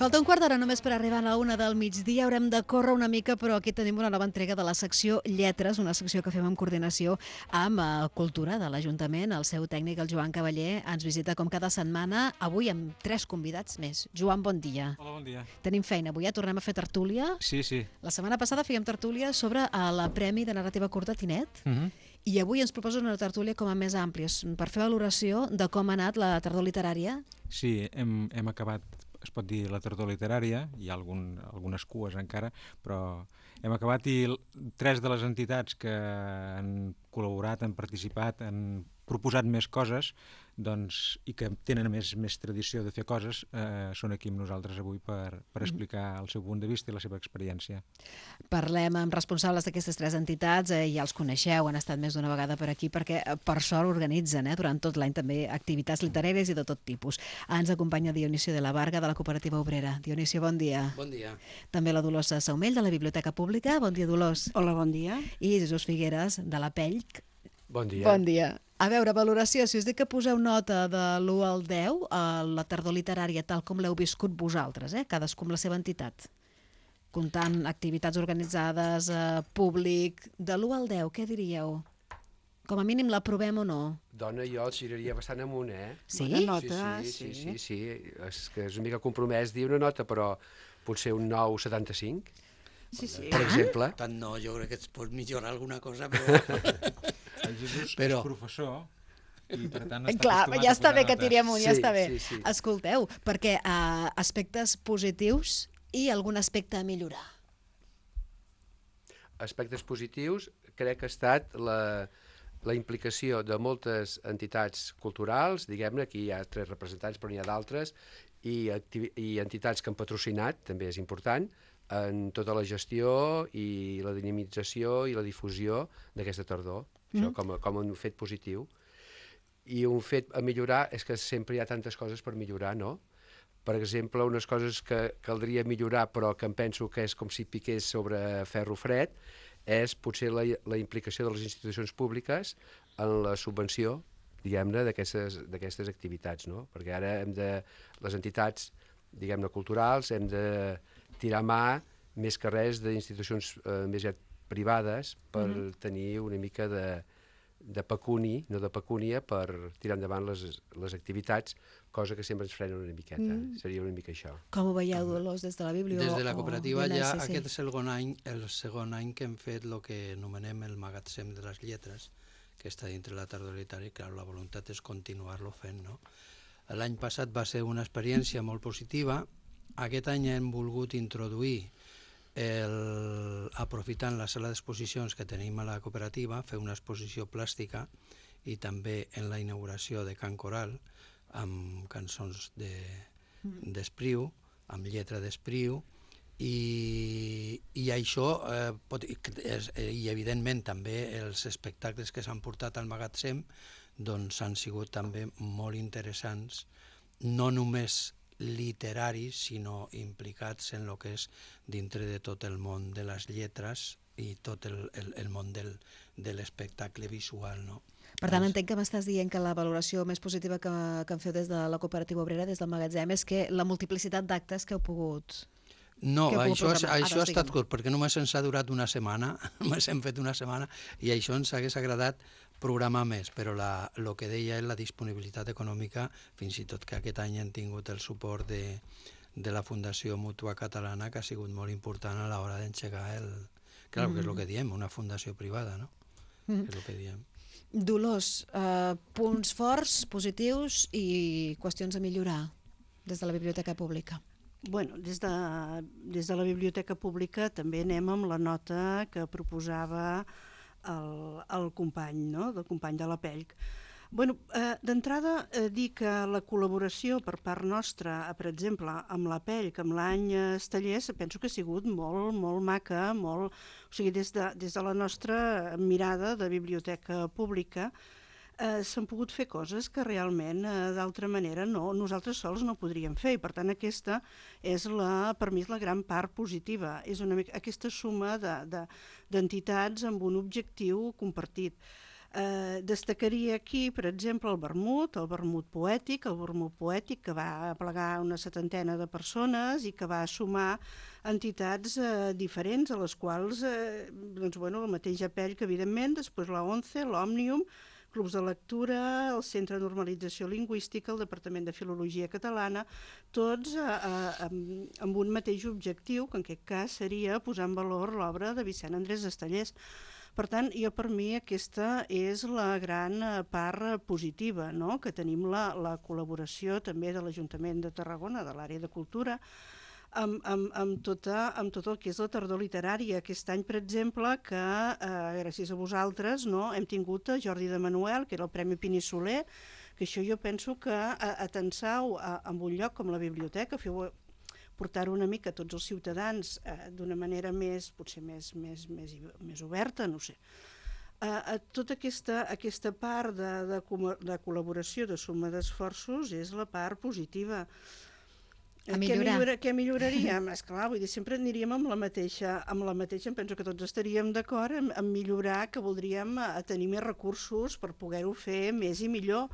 Falta un quart d'hora només per arribar a la 1 del migdia. Haurem de córrer una mica, però aquí tenim una nova entrega de la secció Lletres, una secció que fem en coordinació amb Cultura de l'Ajuntament. El seu tècnic, el Joan Cavaller, ens visita com cada setmana, avui amb 3 convidats més. Joan, bon dia. Hola, bon dia. Tenim feina avui, tornem a fer tertúlia. Sí. La setmana passada fèiem tertúlia sobre el Premi de Narrativa Curta Tinet, i avui ens proposa una tertúlia com a més àmplia, per fer valoració de com ha anat la tardor literària. Sí, hem acabat, es pot dir, la tardor literària, hi ha algunes cues encara, però hem acabat i 3 de les entitats que han col·laborat, han participat, han proposat més coses, doncs, i que tenen més tradició de fer coses, són aquí amb nosaltres avui per explicar el seu punt de vista i la seva experiència. Parlem amb responsables d'aquestes 3 entitats, ja els coneixeu, han estat més d'una vegada per aquí, perquè per sort organitzen durant tot l'any també activitats literàries i de tot tipus. Ens acompanya Dionisio de la Varga, de la Cooperativa Obrera. Dionisio, bon dia. Bon dia. També la Dolors Saumell, de la Biblioteca Pública. Bon dia, Dolors. Hola, bon dia. I Jesús Figueres, de la Pelc. Bon dia. Bon dia. A veure, valoració, si us dic que poseu nota de l'1 al 10 a la tardor literària tal com l'heu viscut vosaltres, cadascú amb la seva entitat, comptant activitats organitzades, públic, de l'1 al 10, què diríeu? Com a mínim l'aprovem o no? Dona, jo el giraria bastant amunt, Sí? Bona nota, Sí. És que és una mica compromès dir una nota, però potser un 9,75, Sí. per exemple. Tant no, jo crec que es pot millorar alguna cosa, però... El Jesús Però... és professor i per tant està Clar, acostumat ja a està posar bé que notes. tiri amunt, ja Sí, està bé. sí. Escolteu, perquè aspectes positius i algun aspecte a millorar. Aspectes positius, crec que ha estat la implicació de moltes entitats culturals, diguem-ne, aquí hi ha 3 representants, però n'hi ha d'altres, i entitats que han patrocinat, també és important, en tota la gestió i la dinamització i la difusió d'aquesta tardor, això com un fet positiu. I un fet a millorar és que sempre hi ha tantes coses per millorar, no? Per exemple, unes coses que caldria millorar, però que em penso que és com si piqués sobre ferro fred, és potser la implicació de les institucions públiques en la subvenció, diguem-ne, d'aquestes activitats, no? Perquè ara les entitats, diguem-ne, culturals, hem de tirar mà més que res d'institucions més privades per tenir una mica de pecuni, no de pecúnia, per tirar endavant les activitats, cosa que sempre ens frena una miqueta. Seria una mica això. Com ho veieu, Dolors, des de la Bíblia? Des de la cooperativa ja aquest és el segon any que hem fet el que anomenem el magatzem de les lletres, que està dintre la tardor literària, i clar, la voluntat és continuar-lo fent, no? L'any passat va ser una experiència molt positiva. Aquest any hem volgut introduir, aprofitant la sala d'exposicions que tenim a la cooperativa, fer una exposició plàstica i també en la inauguració de Cant Coral, amb cançons d'Espriu, amb lletra d'Espriu, i això, i evidentment també els espectacles que s'han portat al magatzem doncs han sigut també molt interessants, no només literaris, sinó implicats en el que és dintre de tot el món de les lletres i tot el món de l'espectacle visual, no? Per tant, entenc que m'estàs dient que la valoració més positiva que en feu des de la cooperativa obrera, des del magatzem, és que la multiplicitat d'actes que heu pogut... No, això ha estat digue'm. curt, perquè només ens ha durat una setmana, només hem fet una setmana, i això ens hagués agradat programar més, però el que deia és la disponibilitat econòmica, fins i tot que aquest any hem tingut el suport de la Fundació Mútua Catalana, que ha sigut molt important a l'hora d'engegar Clar, que és el que diem, una fundació privada, no? És el que diem. Dolors, punts forts, positius i qüestions a millorar des de la Biblioteca Pública. Bueno, des de la Biblioteca Pública també anem amb la nota que proposava el company, no?, del company de la Pelc. Bueno, d'entrada, dir que la col·laboració per part nostra, per exemple, amb la Pelc, amb l'any Estellers, penso que ha sigut molt maca, o sigui, des de la nostra mirada de biblioteca pública, s'han pogut fer coses que realment d'altra manera nosaltres sols no podríem fer, i per tant aquesta és per mi és la gran part positiva, és aquesta suma d'entitats amb un objectiu compartit. Destacaria aquí, per exemple, el vermut poètic, que va aplegar una 70 de persones i que va sumar entitats diferents, a les quals, doncs, bueno, el mateix Apell, que evidentment, després la ONCE, l'Òmnium, clubs de lectura, el Centre de Normalització Lingüística, el Departament de Filologia Catalana, tots amb un mateix objectiu, que en aquest cas seria posar en valor l'obra de Vicent Andrés Estellés. Per tant, per mi aquesta és la gran part positiva, no? Que tenim la col·laboració també de l'Ajuntament de Tarragona, de l'àrea de cultura, amb tot el que és la tardor literària. Aquest any, per exemple, que gràcies a vosaltres, no, hem tingut a Jordi de Manuel, que era el Premi Pini Soler, que això jo penso que atensau en un lloc com la biblioteca, portar-ho una mica a tots els ciutadans d'una manera potser més oberta, no sé. Tota aquesta part de col·laboració, de suma d'esforços, és la part positiva. A millorar. Què milloraríem? Esclar, vull dir, sempre aniríem amb la mateixa, em penso que tots estaríem d'acord en millorar, que voldríem tenir més recursos per poder-ho fer més i millor.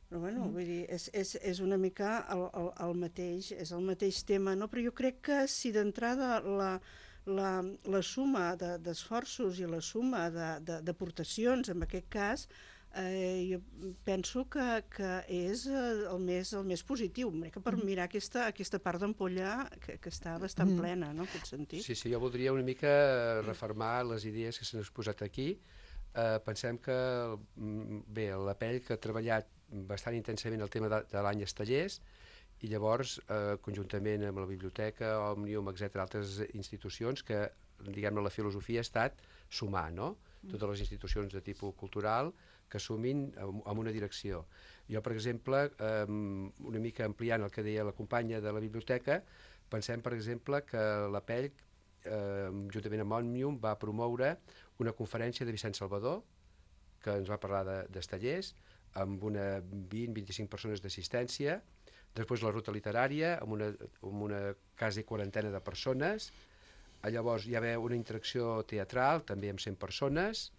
Però bueno, vull dir, és una mica el mateix tema, no? Però jo crec que si d'entrada la suma d'esforços i la suma d'aportacions, en aquest cas, jo penso que és el més positiu, per mirar aquesta part d'ampolla que està bastant plena, no?, en aquest sentit. Sí, jo voldria una mica refermar les idees que s'han exposat aquí. Pensem que, bé, l'Apell, que ha treballat bastant intensament el tema de l'any Estellés, i llavors, conjuntament amb la biblioteca, Òmnium, etc., altres institucions, que, diguem-ne, la filosofia ha estat sumar, no?, totes les institucions de tipus cultural que sumin en una direcció. Jo, per exemple, una mica ampliant el que deia la companya de la biblioteca, pensem, per exemple, que l'Apell, juntament amb Òmnium, va promoure una conferència de Vicent Salvador, que ens va parlar d'Estellés, amb una 20-25 persones d'assistència, després la ruta literària, amb una quasi quarantena de persones. Llavors hi va haver una interacció teatral, també amb 100 persones.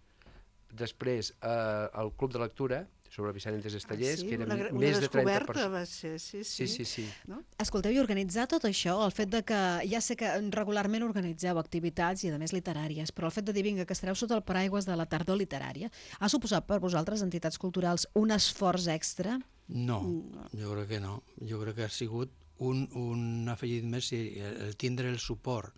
Després el club de lectura sobre Vicent Andrés Estellés, que eren més de 30 persones. Va ser, sí. No? Escolteu, i organitzar tot això, el fet de que, ja sé que regularment organitzeu activitats i a més literàries, però el fet de dir, vinga, que estareu sota el paraigües de la tardor literària, ha suposat per vosaltres, entitats culturals, un esforç extra? No, jo crec que no. Jo crec que ha sigut un afegit més, el tindre el suport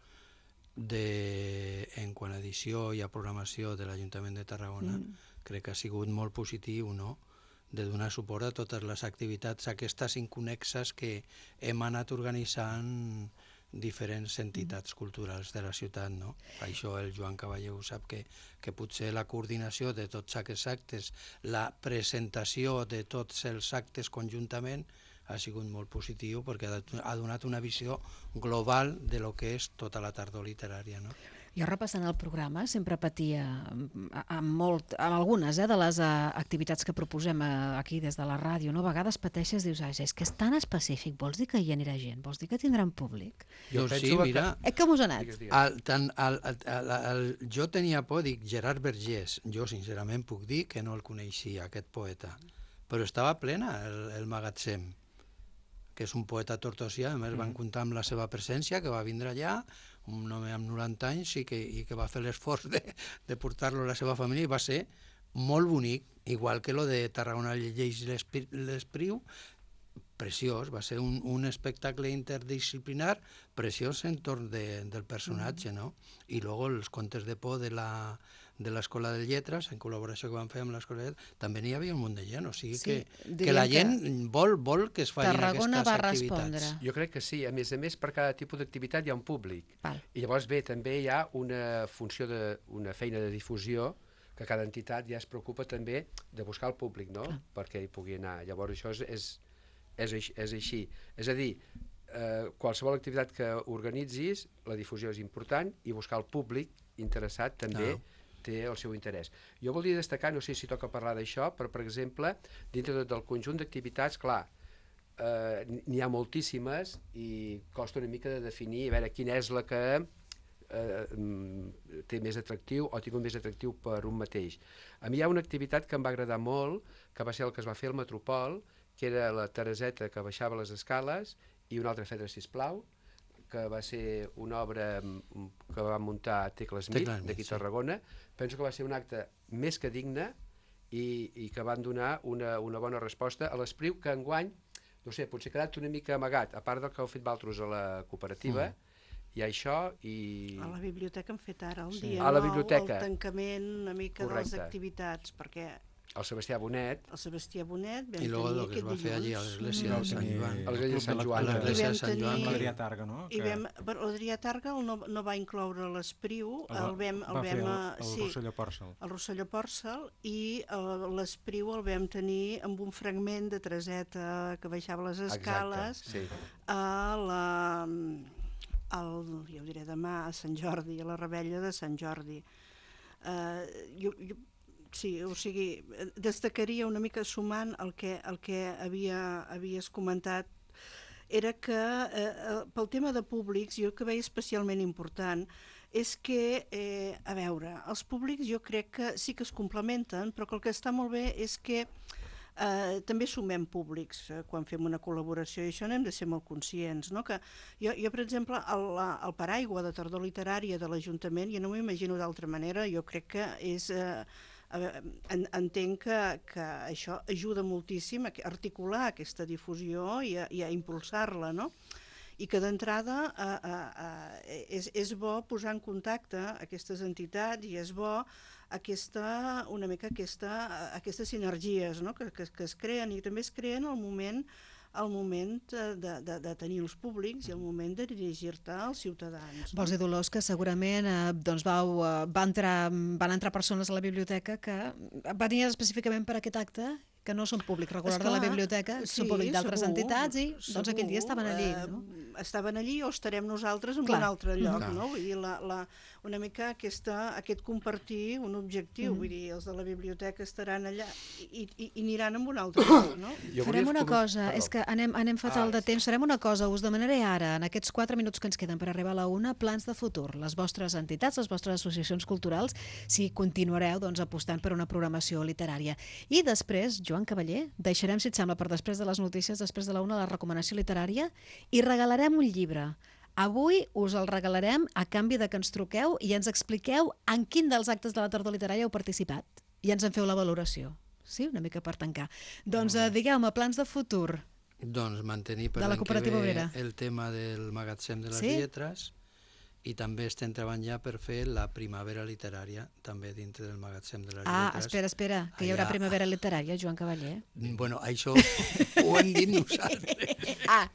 en quant a edició i a programació de l'Ajuntament de Tarragona, crec que ha sigut molt positiu, no?, de donar suport a totes les activitats aquestes inconnexes que hem anat organitzant diferents entitats culturals de la ciutat, no? Per això el Joan Cavallé ho sap, que potser la coordinació de tots aquests actes, la presentació de tots els actes conjuntament, ha sigut molt positiu perquè ha donat una visió global de lo que és tota la tardor literària, no? Jo, repassant el programa, sempre patia amb algunes de les activitats que proposem aquí des de la ràdio, no? A vegades pateixes, dius, és que és tan específic, vols dir que hi anirà gent? Vols dir que tindran públic? Jo sí, mira... Com us ha anat? Jo tenia por, dic, Gerard Vergés, jo sincerament puc dir que no el coneixia, aquest poeta, però estava plena el magatzem, que és un poeta tortosià, a més van comptar amb la seva presència, que va vindre allà, un home amb 90 anys i que va fer l'esforç de portar-lo a la seva família, i va ser molt bonic, igual que lo de Tarragona llegeix l'Espriu, preciós, va ser un espectacle interdisciplinar preciós entorn del personatge, no? I luego els contes de por de l'Escola de Lletres, en col·laboració que van fer amb l'Escola de Lletres, també n'hi havia un munt de gent, o sigui que la gent vol que es facin aquestes activitats. Jo crec que sí, a més, per cada tipus d'activitat hi ha un públic. Val. I llavors, bé, també hi ha una funció, una feina de difusió, que cada entitat ja es preocupa també de buscar el públic, no?, perquè hi pugui anar. Llavors això és així. És a dir, qualsevol activitat que organitzis, la difusió és important i buscar el públic interessat també té el seu interès. Jo voldria destacar, no sé si toca parlar d'això, però, per exemple, dintre del conjunt d'activitats, clar, n'hi ha moltíssimes i costa una mica de definir, a veure quina és la que té més atractiu o ha tingut més atractiu per un mateix. A mi hi ha una activitat que em va agradar molt, que va ser el que es va fer al Metropol, que era la Tereseta que baixava les escales i una altra Fedra sisplau, que va ser una obra que va muntar Tecla Smith, d'aquí a Tarragona. Penso que va ser un acte més que digne i que van donar una bona resposta a l'Espriu, que enguany, no sé, potser ha quedat una mica amagat, a part del que heu fet vosaltres a la cooperativa, hi ha això i... A la biblioteca hem fet ara el dia a la nou, biblioteca. el tancament una mica de les Correcte. activitats, perquè El Sebastià Bonet, el Sebastià Bonet vam I luego tenir lo que es aquest va fer allí a dilluns. l'església de Sant Joan. a l'església de Sant Joan. A l'església de Sant Joan. tenir- L'Adrià Targa, no? I vam, però l'Adrià Targa no va incloure l'Espriu, va fer el sí, Rosselló Pòrcel. el Rosselló Pòrcel, i l'Espriu el vam tenir amb un fragment de Tereseta que baixava les escales. Exacte, sí. Ja ho diré demà, a Sant Jordi, a la Rebella de Sant Jordi. Sí, o sigui, destacaria una mica sumant el que havies comentat, era que pel tema de públics, jo que veia especialment important, és que, a veure, els públics jo crec que sí que es complementen, però que el que està molt bé és que també sumem públics quan fem una col·laboració, i això n'hem de ser molt conscients, no? Que jo, per exemple, el paraigua de tardor literària de l'Ajuntament, jo no m'ho imagino d'altra manera, jo crec que és... entenc que això ajuda moltíssim a articular aquesta difusió i a impulsar-la, no? I que d'entrada és bo posar en contacte aquestes entitats i és bo una mica aquestes sinergies, no? que es creen, i també es creen al moment de tenir els públics i el moment de dirigir-te als ciutadans. Vols dir, Dolors, que segurament doncs van entrar persones a la biblioteca que venien específicament per aquest acte, que no són públic regular de la biblioteca, sí, són públic d'altres segur, entitats i doncs aquell dia estaven allí. No? Estaven allí o estarem nosaltres en Clar. un altre lloc, Clar. no? Vull dir, una mica aquest compartir un objectiu, vull dir, els de la biblioteca estaran allà i aniran en un altre lloc, no? Farem una cosa, és que anem fatal de temps, farem una cosa, us demanaré ara, en aquests 4 minuts que ens queden per arribar a la 1, plans de futur, les vostres entitats, les vostres associacions culturals, si continuareu doncs, apostant per una programació literària. I després, Joan Cavaller, deixarem, si et sembla, per després de les notícies, després de la 1, la recomanació literària, i regalarem un llibre. Avui us el regalarem a canvi de que ens truqueu i ens expliqueu en quin dels actes de la tardor literària heu participat i ens en feu la valoració. Sí, una mica per tancar. Doncs digueu-me, plans de futur. Doncs mantenir per De la l'any que Cooperativa ve Obrera. el tema del magatzem de les Sí? lletres, i també estem treballant ja per fer la primavera literària, també dintre del magatzem de les lletres. Espera, que hi haurà Allà- primavera literària, Joan Cavaller. Bueno, això ho hem dit nosaltres.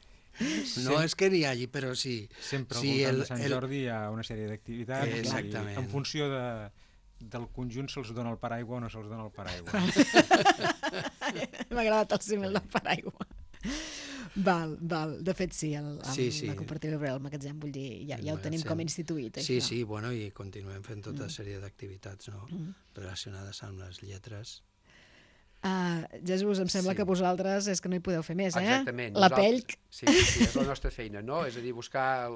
No és que n'hi hagi, però sí. Sempre al sí, voltant de Sant Jordi hi ha una sèrie d'activitats Exactament. i en funció del conjunt se'ls dona el paraigua o no se'ls dona el paraigua. M'ha agradat el símil del paraigua. Val. De fet, sí, Sí. la cooperativa Obrera, el magatzem, vull dir, ja ho tenim com instituït. Sí, això. sí, bueno, i continuem fent tota sèrie d'activitats, no?, relacionades amb les lletres. Jesús, em sembla Sí. que vosaltres és que no hi podeu fer més, Exactament. La Nosaltres- pell... Sí, és la nostra feina, no? És a dir, buscar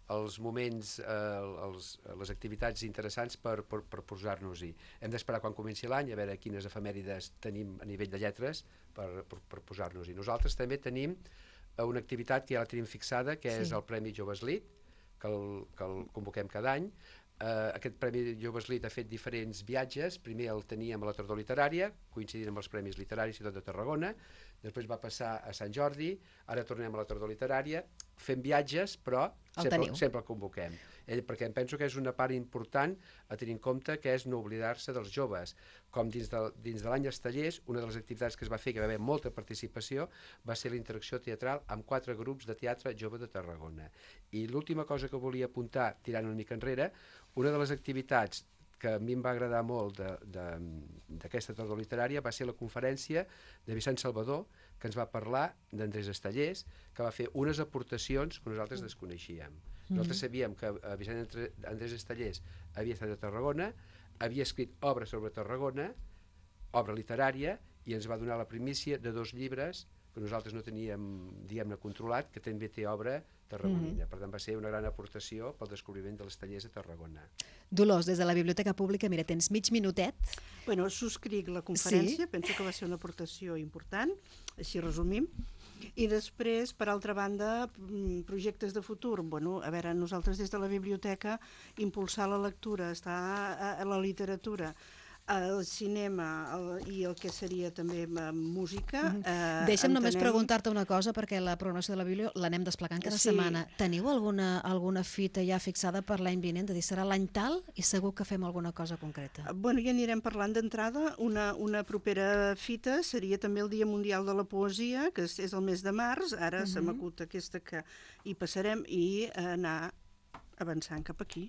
els moments, les activitats interessants per posar-nos-hi. Hem d'esperar quan comenci l'any a veure quines efemèrides tenim a nivell de lletres per posar-nos-hi. Nosaltres també tenim una activitat que ja la tenim fixada, que és el Premi Joves Lit, que el convoquem cada any. Aquest Premi Joves Lit ha fet diferents viatges. Primer el teníem a la tardor literària, coincidint amb els Premis Literaris i tot de Tarragona. Després va passar a Sant Jordi, ara tornem a la tardor literària. Fem viatges, però sempre el convoquem. Perquè em penso que és una part important a tenir en compte, que és no oblidar-se dels joves. Com dins de l'any Estellers, una de les activitats que es va fer, que va haver molta participació, va ser la interacció teatral amb 4 grups de teatre jove de Tarragona. I l'última cosa que volia apuntar, tirant una mica enrere, una de les activitats que a mi em va agradar molt d'aquesta tardor literària va ser la conferència de Vicent Salvador, que ens va parlar d'Andrés Estellers, que va fer unes aportacions que nosaltres desconeixíem. Nosaltres sabíem que Vicent Andrés Estellers havia estat a Tarragona, havia escrit obres sobre Tarragona, obra literària, i ens va donar la primícia de 2 llibres que nosaltres no teníem, diguem-ne, controlat, que també té obra tarragonina. Per tant, va ser una gran aportació pel descobriment de les tallers a Tarragona. Dolors, des de la Biblioteca Pública, mira, tens mig minutet. Bueno, subscric la conferència, penso que va ser una aportació important, així resumim. I després, per altra banda, projectes de futur. Bueno, a veure, nosaltres des de la biblioteca impulsar la lectura, estar a la literatura, el cinema i el que seria també música. Deixa'm només preguntar-te una cosa, perquè la programació de la Biblio l'anem desplegant cada setmana. Teniu alguna fita ja fixada per l'any vinent? És a dir, serà l'any tal i segur que fem alguna cosa concreta. Bueno, ja anirem parlant d'entrada. Una propera fita seria també el Dia Mundial de la Poesia, que és el mes de març. Ara se m'acut aquesta que hi passarem i anar avançant cap aquí.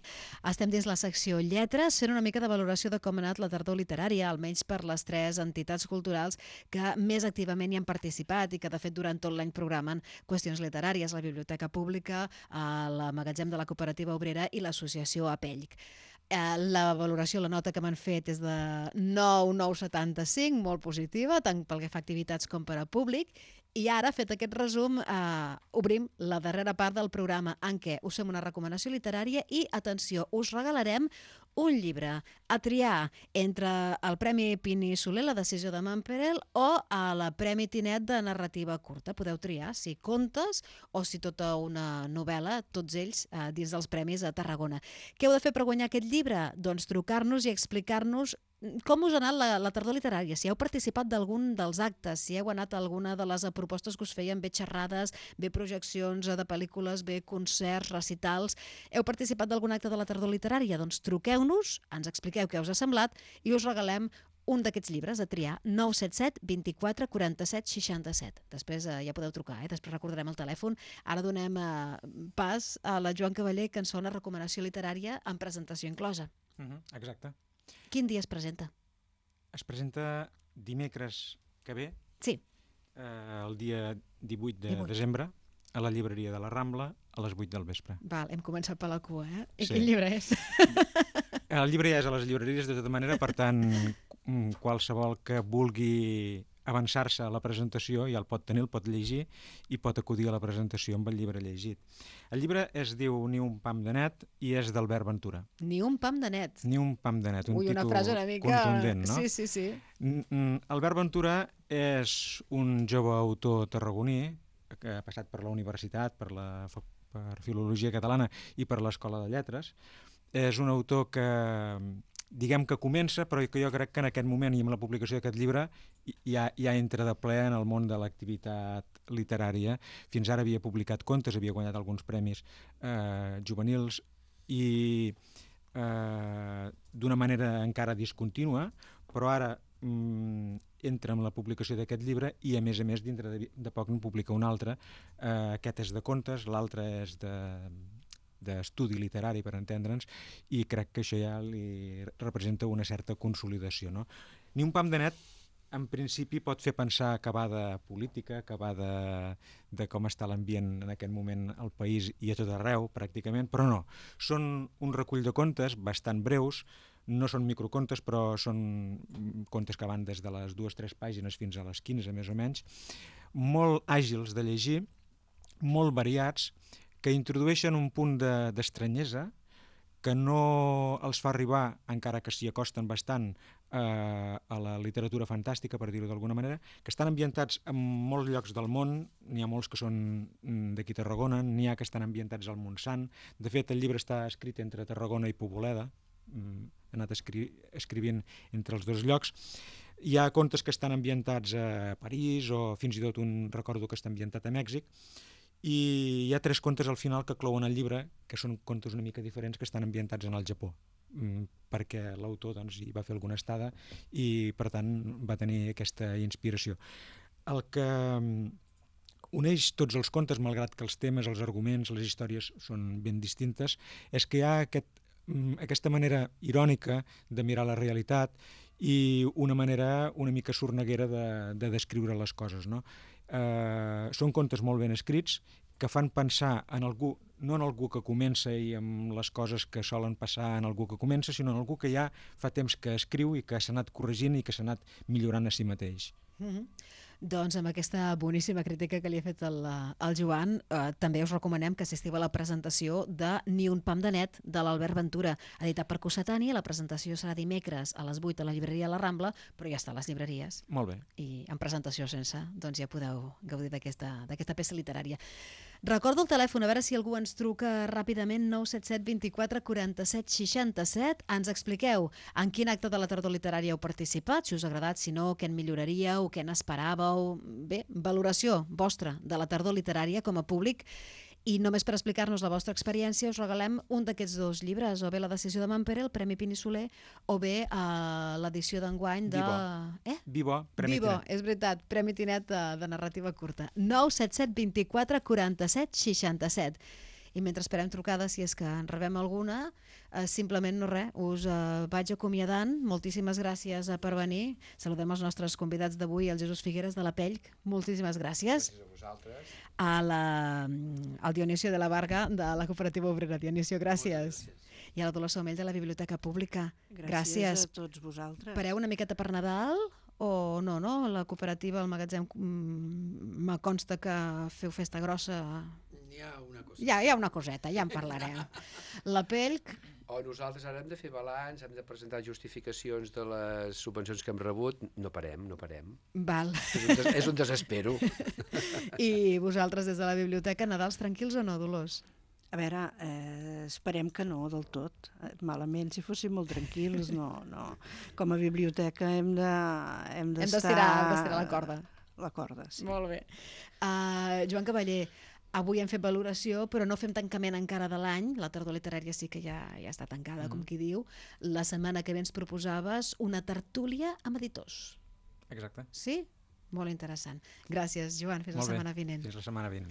Estem dins la secció Lletres, fent una mica de valoració de com ha anat la tardor literària, almenys per les 3 entitats culturals que més activament hi han participat i que, de fet, durant tot l'any programen qüestions literàries, la Biblioteca Pública, el Magatzem de la Cooperativa Obrera i l'Associació Apellic. La valoració, la nota que m'han fet és de 9,975, molt positiva, tant pel que fa a activitats com per a públic. I ara, fet aquest resum, obrim la darrera part del programa en què us fem una recomanació literària i, atenció, us regalarem un llibre a triar entre el Premi Pini Soler, la decisió de Mamperel, o el Premi Tinet de narrativa curta. Podeu triar si contes o si tota una novel·la, tots ells dins dels premis a Tarragona. Què heu de fer per guanyar aquest llibre? Doncs trucar-nos i explicar-nos com us ha anat la tardor literària, si heu participat d'algun dels actes, si heu anat a alguna de les propostes que us feien, bé xerrades, bé projeccions de pel·lícules, bé concerts, recitals. Heu participat d'algun acte de la tardor literària? Doncs truqueu-nos, ens expliqueu què us ha semblat i us regalem un d'aquests llibres a triar, 977 24 47 67. Després ja podeu trucar, després recordarem el telèfon. Ara donem pas a la Joan Cavaller, que ens fa una recomanació literària amb presentació inclosa. Exacte. Quin dia es presenta? Es presenta dimecres que ve, sí. El dia 18 de desembre, a la llibreria de la Rambla, a les 8 del vespre. Val, hem començat per la cua, I sí. Quin llibre és? El llibre ja és a les llibreries de tota manera, per tant, qualsevol que vulgui avançar-se a la presentació ja el pot tenir, el pot llegir i pot acudir a la presentació amb el llibre llegit. El llibre es diu Ni un pam de net i és d'Albert Ventura. Ni un pam de net. Ni un pam de net, un títol una frase una mica contundent, no? Sí. Albert Ventura és un jove autor tarragoní que ha passat per la universitat, per Filologia Catalana i per l'Escola de Lletres. És un autor que diguem que comença, però que jo crec que en aquest moment i amb la publicació d'aquest llibre ja entra de ple en el món de l'activitat literària. Fins ara havia publicat contes, havia guanyat alguns premis juvenils i d'una manera encara discontínua, però ara entra en la publicació d'aquest llibre i a més dintre de poc en publica un altre. Aquest és de contes, l'altre és d'estudi literari, per entendre'ns, i crec que això ja li representa una certa consolidació, no? Ni un pam de net, en principi, pot fer pensar que va de política, que va de com està l'ambient en aquest moment al país i a tot arreu, pràcticament, però no. Són un recull de contes bastant breus, no són microcontes, però són contes que van des de les 2-3 pàgines fins a les 15, més o menys, molt àgils de llegir, molt variats, que introdueixen un punt d'estranyesa que no els fa arribar, encara que s'hi acosten bastant, a la literatura fantàstica, per dir-ho d'alguna manera, que estan ambientats en molts llocs del món. N'hi ha molts que són d'aquí Tarragona, n'hi ha que estan ambientats al Montsant. De fet, el llibre està escrit entre Tarragona i Poboleda, he anat escrivint entre els dos llocs. Hi ha contes que estan ambientats a París o fins i tot recordo que està ambientat a Mèxic. I hi ha 3 contes al final que clouen el llibre, que són contes una mica diferents, que estan ambientats en el Japó, perquè l'autor hi va fer alguna estada i, per tant, va tenir aquesta inspiració. El que uneix tots els contes, malgrat que els temes, els arguments, les històries són ben distintes, és que hi ha aquesta manera irònica de mirar la realitat i una manera una mica sorneguera de descriure les coses, no? Són contes molt ben escrits que fan pensar en algú, no en algú que comença i amb les coses que solen passar en algú que comença, sinó en algú que ja fa temps que escriu i que s'ha anat corregint i que s'ha anat millorant a si mateix. Doncs amb aquesta boníssima crítica que li ha fet el Joan, també us recomanem que assistiu a la presentació de Ni un pam de net, de l'Albert Ventura, editat per Cossetani. La presentació serà dimecres a les 8 a la llibreria La Rambla, però ja està a les llibreries. Molt bé. I en presentació sense, doncs ja podeu gaudir d'aquesta peça literària. Recordo el telèfon, a veure si algú ens truca ràpidament, 977 24 47 67. Ens expliqueu en quin acte de la tardor literària heu participat, si us ha agradat, si no, què en milloraríeu, què n'esperàveu. Bé, valoració vostra de la tardor literària com a públic. I només per explicar-nos la vostra experiència us regalem un d'aquests dos llibres, o bé La decisió de Manpere, el Premi Pini Soler, o bé l'edició d'enguany de... Vivo, Premi Tinet. És veritat, Premi Tinet de narrativa curta. 977 24 47 67. I mentre esperem trucades, si és que en rebem alguna, simplement no res, us vaig acomiadant. Moltíssimes gràcies per venir. Saludem els nostres convidats d'avui, el Jesús Figueres de la Pelc. Moltíssimes gràcies. Gràcies a vosaltres. Al Dionisio de la Varga de la Cooperativa Obrera. Dionisio, gràcies. I a la Dolors Somell de la Biblioteca Pública. Gràcies a tots vosaltres. Pareu una miqueta per Nadal o no? La cooperativa, el magatzem, me consta que feu festa grossa. Hi ha una cosa. Hi ha una coseta, ja en parlarem. La Pelc... O nosaltres ara hem de fer balanç, hem de presentar justificacions de les subvencions que hem rebut. No parem. Val. És un desespero. I vosaltres des de la biblioteca, Nadals tranquils o no, Dolors? A veure, esperem que no del tot. Malament, si fóssim molt tranquils, no. Com a biblioteca hem d'estar... Hem d'estirar la corda. La corda, sí. Molt bé. Joan Cavaller, avui hem fet valoració, però no fem tancament encara de l'any. La tardor literària sí que ja està tancada, com qui diu. La setmana que ve ens proposaves una tertúlia amb editors. Exacte. Sí? Molt interessant. Gràcies, Joan. Fins la setmana vinent. Fins la setmana vinent.